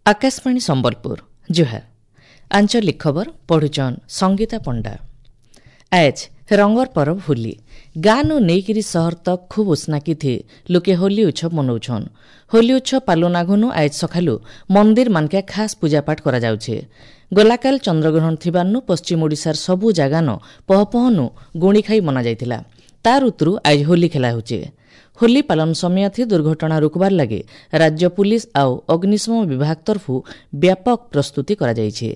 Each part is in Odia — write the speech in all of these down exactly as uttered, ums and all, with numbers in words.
ଆକାଶବାଣୀ ସମ୍ବଲପୁର ଜୁହାର ଆଞ୍ଚଳିକ ଖବର ପଢୁଛନ୍ ସଙ୍ଗୀତା ପଣ୍ଡା ଆଜ୍ ରଙ୍ଗର ପରବ ହୋଲି ଗାଁନୁ ନେଇକିରି ସହର ତକ୍ ଖୁବ୍ ଉସ୍ନାକି ଥି ଲୋକେ ହୋଲି ଉତ୍ସବ ମନଉଛନ୍ ହୋଲି ଉତ୍ସବ ପାଲନ ଆଘନୁ ଆଏଜ୍ ସକାଲୁ ମନ୍ଦିର ମାନକେ ଖାସ୍ ପୂଜାପାଠ କରାଯାଉଛେ ଗଲାକାଲ ଚନ୍ଦ୍ରଗ୍ରହଣ ଥିବାର୍ନୁ ପଶ୍ଚିମ ଓଡ଼ିଶାର ସବୁ ଜାଗାନ ପହପହନୁ ଗୁଣି ଖାଇ ମନାଯାଇଥିଲା ତାର ଉତରୁ ଆଏଜ୍ ହୋଲି ଖେଲା ହେଉଛେ ହୋଲି ପାଳନ ସମୟଥି ଦୁର୍ଘଟଣା ରୋକବାର ଲାଗି ରାଜ୍ୟ ପୁଲିସ ଆଉ ଅଗ୍ନିଶମ ବିଭାଗ ତରଫୁ ବ୍ୟାପକ ପ୍ରସ୍ତୁତି କରାଯାଇଛି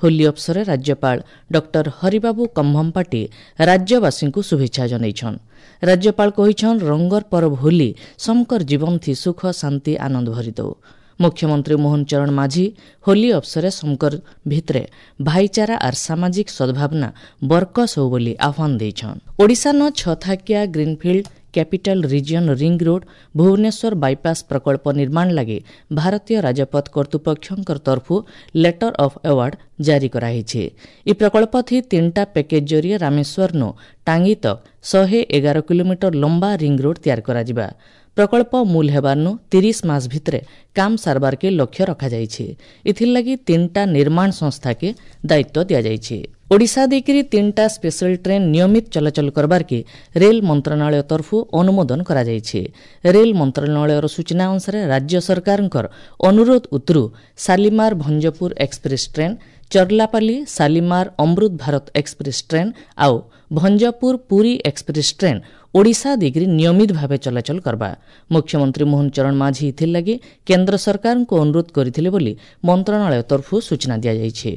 ହୋଲି ଅବସରରେ ରାଜ୍ୟପାଳ ଡକ୍ଟର ହରିବାବୁ କମ୍ଭମପାଟି ରାଜ୍ୟବାସୀଙ୍କୁ ଶୁଭେଚ୍ଛା ଜଣାଇଛନ୍ ରାଜ୍ୟପାଳ କହିଛନ୍ ରଙ୍ଗର ପରବ ହୋଲି ସମକର ଜୀବନଥି ସୁଖ ଶାନ୍ତି ଆନନ୍ଦ ଭରିଦଉ ମୁଖ୍ୟମନ୍ତ୍ରୀ ମୋହନ ଚରଣ ମାଝୀ ହୋଲି ଅବସରରେ ସମକର ଭିତରେ ଭାଇଚାରା ଆର୍ ସାମାଜିକ ସଦ୍ଭାବନା ବରକସ୍ ହଉ ବୋଲି ଆହ୍ୱାନ ଦେଇଛନ୍ ଓଡ଼ିଶାନ ଛଥାକିଆ greenfield capital region ring road Bhubaneswar bypass ପ୍ରକଳ୍ପ ନିର୍ମାଣ ଲାଗି ଭାରତୀୟ ରାଜପଥ କର୍ତ୍ତୃପକ୍ଷଙ୍କର ତରଫୁ ଲେଟର ଅଫ୍ ଆୱାର୍ଡ ଜାରି କରାହେଇଛି ଇ ପ୍ରକଳ୍ପ ଥି ତିନିଟା ପ୍ୟାକେଜ ଜରିଏ ରାମେଶ୍ୱରନୁ ଟାଙ୍ଗି ତକ୍ ଶହେ ଏଗାର କିଲୋମିଟର ଲମ୍ବା ରିଙ୍ଗ ରୋଡ୍ ତିଆରି କରାଯିବା ପ୍ରକଳ୍ପ ମୂଲ ହେବାର୍ନୁ ତିରିଶ ମାସ ଭିତରେ କାମ ସାରବାରକେ ଲକ୍ଷ୍ୟ ରଖାଯାଇଛି ଏଥିର୍ଲାଗି ତିନିଟା ନିର୍ମାଣ ସଂସ୍ଥାକେ ଦାୟିତ୍ୱ ଦିଆଯାଇଛି ଓଡ଼ିଶା ଦେଇକରି ତିନିଟା ସ୍ପେଶାଲ ଟ୍ରେନ୍ ନିୟମିତ ଚଳାଚଳ କରବାର୍କେ ରେଲ ମନ୍ତ୍ରଣାଳୟ ତରଫୁ ଅନୁମୋଦନ କରାଯାଇଛି ରେଲ ମନ୍ତ୍ରଣାଳୟର ସୂଚନା ଅନୁସାରେ ରାଜ୍ୟ ସରକାରଙ୍କର ଅନୁରୋଧ ଉତରୁ ଶାଲିମାର ଭଞ୍ଜପୁର ଏକ୍ସପ୍ରେସ୍ ଟ୍ରେନ୍ ଚର୍ଲାପାଲି ଶାଲିମାର ଅମୃତ ଭାରତ ଏକ୍ସପ୍ରେସ୍ ଟ୍ରେନ୍ ଆଉ ଭଞ୍ଜପୁର ପୁରୀ ଏକ୍ସପ୍ରେସ୍ ଟ୍ରେନ୍ ଓଡ଼ିଶା ଦେଇକରି ନିୟମିତ ଭାବେ ଚଳାଚଳ କରବା ମୁଖ୍ୟମନ୍ତ୍ରୀ ମୋହନ ଚରଣ ମାଝୀ ଏଥିର୍ଲାଗି କେନ୍ଦ୍ର ସରକାରଙ୍କୁ ଅନୁରୋଧ କରିଥିଲେ ବୋଲି ମନ୍ତ୍ରଣାଳୟ ତରଫୁ ସୂଚନା ଦିଆଯାଇଛି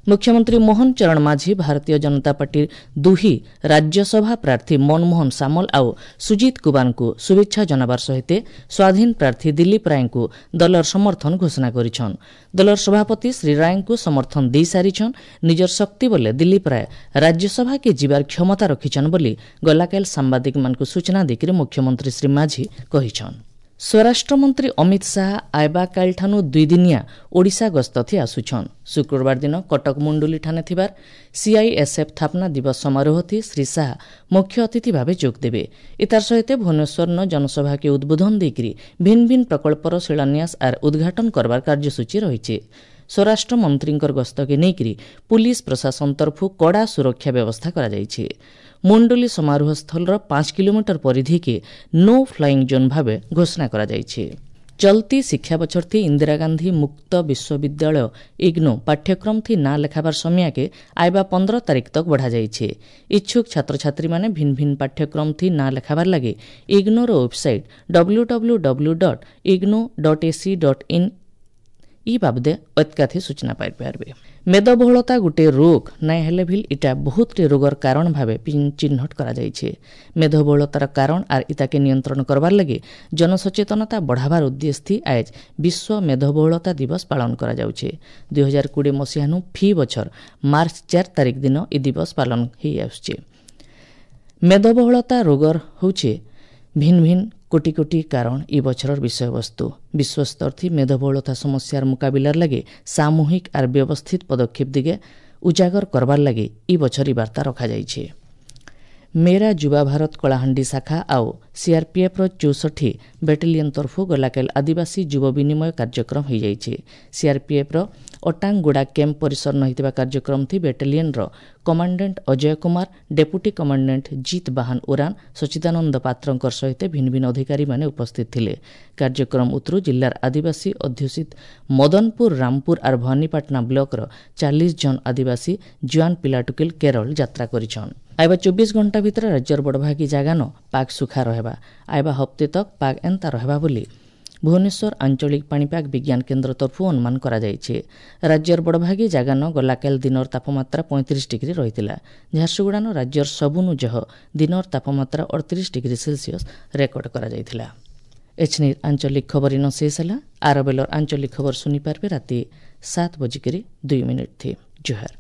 ମୁଖ୍ୟମନ୍ତ୍ରୀ ମୋହନ ଚରଣ ମାଝୀ ଭାରତୀୟ ଜନତା ପାର୍ଟିର ଦୁହି ରାଜ୍ୟସଭା ପ୍ରାର୍ଥୀ ମନମୋହନ ସାମଲ ଆଉ ସୁଜିତ କୁମାରଙ୍କୁ ଶୁଭେଚ୍ଛା ଜଣାବାର ସହିତ ସ୍ୱାଧୀନ ପ୍ରାର୍ଥୀ ଦିଲ୍ଲୀପ ରାୟଙ୍କୁ ଦଳର ସମର୍ଥନ ଘୋଷଣା କରିଛନ୍ ଦଳର ସଭାପତି ଶ୍ରୀ ରାୟଙ୍କୁ ସମର୍ଥନ ଦେଇସାରିଛନ୍ ନିଜର ଶକ୍ତି ବଲେ ଦିଲ୍ଲୀପ ରାୟ ରାଜ୍ୟସଭାକେ ଯିବାର କ୍ଷମତା ରଖିଛନ୍ ବୋଲି ଗଲାକାଲ ସାମ୍ବାଦିକମାନଙ୍କୁ ସୂଚନା ଦେଇକରି ମୁଖ୍ୟମନ୍ତ୍ରୀ ଶ୍ରୀ ମାଝୀ କହିଛନ୍ ସ୍ୱରାଷ୍ଟ୍ରମନ୍ତ୍ରୀ ଅମିତ ଶାହା ଆଇବା କାଲିଠାନୁ ଦୁଇଦିନିଆ ଓଡ଼ିଶା ଗସ୍ତଥି ଆସୁଛନ୍ ଶୁକ୍ରବାର ଦିନ କଟକ ମୁଣ୍ଡୁଲିଠାନେ ଥିବାର ସିଆଇଏସ୍ଏଫ୍ ସ୍ଥାପନା ଦିବସ ସମାରୋହଥି ଶ୍ରୀ ଶାହା ମୁଖ୍ୟ ଅତିଥି ଭାବେ ଯୋଗ ଦେବେ ଏତାର ସହିତ ଭୁବନେଶ୍ୱରନ ଜନସଭାକେ ଉଦ୍ବୋଧନ ଦେଇକରି ଭିନ୍ନ ଭିନ୍ନ ପ୍ରକଳ୍ପର ଶିଳାନ୍ୟାସ ଆର୍ ଉଦ୍ଘାଟନ କରବାର କାର୍ଯ୍ୟସୂଚୀ ରହିଛି ସ୍ୱରାଷ୍ଟ୍ର ମନ୍ତ୍ରୀଙ୍କର ଗସ୍ତକେ ନେଇକରି ପୁଲିସ ପ୍ରଶାସନ ତରଫୁ କଡ଼ା ସୁରକ୍ଷା ବ୍ୟବସ୍ଥା କରାଯାଇଛି ମୁଣ୍ଡୁଲି ସମାରୋହ ସ୍ଥଳର ପାଞ୍ଚ କିଲୋମିଟର ପରିଧିକେ ନୋ ଫ୍ଲାଇଂ ଜୋନ୍ ଭାବେ ଘୋଷଣା କରାଯାଇଛି ଚଲତି ଶିକ୍ଷା ବଛର ଥି ଇନ୍ଦିରା ଗାନ୍ଧୀ ମୁକ୍ତ ବିଶ୍ୱବିଦ୍ୟାଳୟ ଇଗ୍ନୋ ପାଠ୍ୟକ୍ରମ ଥି ନାଁ ଲେଖାବାର ସମୟକେ ଆଇବା ପନ୍ଦର ତାରିଖ ତକ୍ ବଢ଼ାଯାଇଛି ଇଚ୍ଛୁକ ଛାତ୍ରଛାତ୍ରୀମାନେ ଭିନ୍ନ ଭିନ୍ନ ପାଠ୍ୟକ୍ରମ ଥି ନାଁ ଲେଖାବାର ଲାଗି ignore website W W W dot IGNOU dot AC dot in ଇ ବାବଦେ ଅତ୍କାଥି ସୂଚନା ପାଇପାରିବେ ମେଦବହୁଳତା ଗୋଟିଏ ରୋଗ ନାଇଁ ହେଲେ ଭିଲ୍ ଇଟା ବହୁତଟି ରୋଗର କାରଣ ଭାବେ ଚିହ୍ନଟ କରାଯାଇଛି ମେଦବହୁଳତାର କାରଣ ଆର୍ ଇତାକେ ନିୟନ୍ତ୍ରଣ କରବାର ଲାଗି ଜନସଚେତନତା ବଢ଼ାବାର ଉଦ୍ଦେଶ୍ୟ ଆଏଜ୍ ବିଶ୍ୱ ମେଦବହୁଳତା ଦିବସ ପାଳନ କରାଯାଉଛି ଦୁଇ ହଜାର କୋଡ଼ିଏ ମସିହାନୁ ଫି ବଛର ମାର୍ଚ୍ଚ ଚାରି ତାରିଖ ଦିନ ଇ ଦିବସ ପାଳନ ହେଇ ଆସୁଛି ମେଦବହୁଳତା ରୋଗର ହେଉଛି ଭିନ୍ନ ଭିନ୍ନ କୋଟି କୋଟି କାରଣ ଇ ବଛରର ବିଷୟବସ୍ତୁ ବିଶ୍ୱସ୍ତର ଥି ମେଦବହୁଳତା ସମସ୍ୟାର ମୁକାବିଲାର ଲାଗି ସାମୂହିକ ଆର୍ ବ୍ୟବସ୍ଥିତ ପଦକ୍ଷେପ ଦିଗେ ଉଜାଗର କରବାର ଲାଗି ଇ ବଛର ଇ ବାର୍ତ୍ତା ରଖାଯାଇଛି ମେରା ଯୁବା ଭାରତ କଳାହାଣ୍ଡି ଶାଖା ଆଉ ସିଆର୍ପିଏଫ୍ର ଚଉଷଠି ବାଟାଲିୟନ ତରଫୁ ଗଲାକାଲି ଆଦିବାସୀ ଯୁବ ବିନିମୟ କାର୍ଯ୍ୟକ୍ରମ ହୋଇଯାଇଛି ସିଆର୍ପିଏଫ୍ର ଅଟାଙ୍ଗଗୁଡ଼ା କ୍ୟାମ୍ପ ପରିସର ହୋଇଥିବା କାର୍ଯ୍ୟକ୍ରମ ଥି ବାଟାଲିୟନର commandant Ajay Kumar deputy commandant Jit Bahan Oraon Sachidananda ପାତ୍ରଙ୍କ ସହିତ ଭିନ୍ନ ଭିନ୍ନ ଅଧିକାରୀମାନେ ଉପସ୍ଥିତ ଥିଲେ କାର୍ଯ୍ୟକ୍ରମ ଉତରୁ ଜିଲ୍ଲାର ଆଦିବାସୀ ଅଧ୍ୟୁଷିତ ମଦନପୁର ରାମପୁର ଆର୍ ଭବାନୀପାଟଣା ବ୍ଲକର ଚାଳିଶ ଜଣ ଆଦିବାସୀ ଜୁଆନ ପିଲାଟୁକିଲ କେରଳ ଯାତ୍ରା କରିଛନ୍ ଆଇବା ଚବିଶ ଘଣ୍ଟା ଭିତରେ ରାଜ୍ୟର ବଡ଼ଭାଗୀ ଜାଗାନ ପାଗ ସୁଖା ରହିବା ଆଇବା ହପ୍ତେ ତକ୍ ପାଗ ଏନ୍ତା ରହିବା ବୋଲି ଭୁବନେଶ୍ୱର ଆଞ୍ଚଳିକ ପାଣିପାଗ ବିଜ୍ଞାନ କେନ୍ଦ୍ର ତରଫୁ ଅନୁମାନ କରାଯାଇଛି ରାଜ୍ୟର ବଡ଼ଭାଗୀ ଜାଗାନ ଗଲାକାଲି ଦିନର ତାପମାତ୍ରା ପଇଁତିରିଶ ଡିଗ୍ରୀ ରହିଥିଲା ଝାରସୁଗୁଡ଼ାନ ରାଜ୍ୟର ସବୁନୁ ଜହ ଦିନର ତାପମାତ୍ରା ଅଠତିରିଶ ଡିଗ୍ରୀ ସେଲସିୟସ୍ ରେକର୍ଡ କରାଯାଇଥିଲା ଏଛନି ଆଞ୍ଚଳିକ ଖବର ଇନ ଶେଷ ହେଲା ଆର ବେଲର ଆଞ୍ଚଳିକ ଖବର ଶୁଣିପାରିବେ ରାତି ସାତ ବଜିକରି ଦୁଇ ମିନିଟ୍ ଥି ଜୁହାର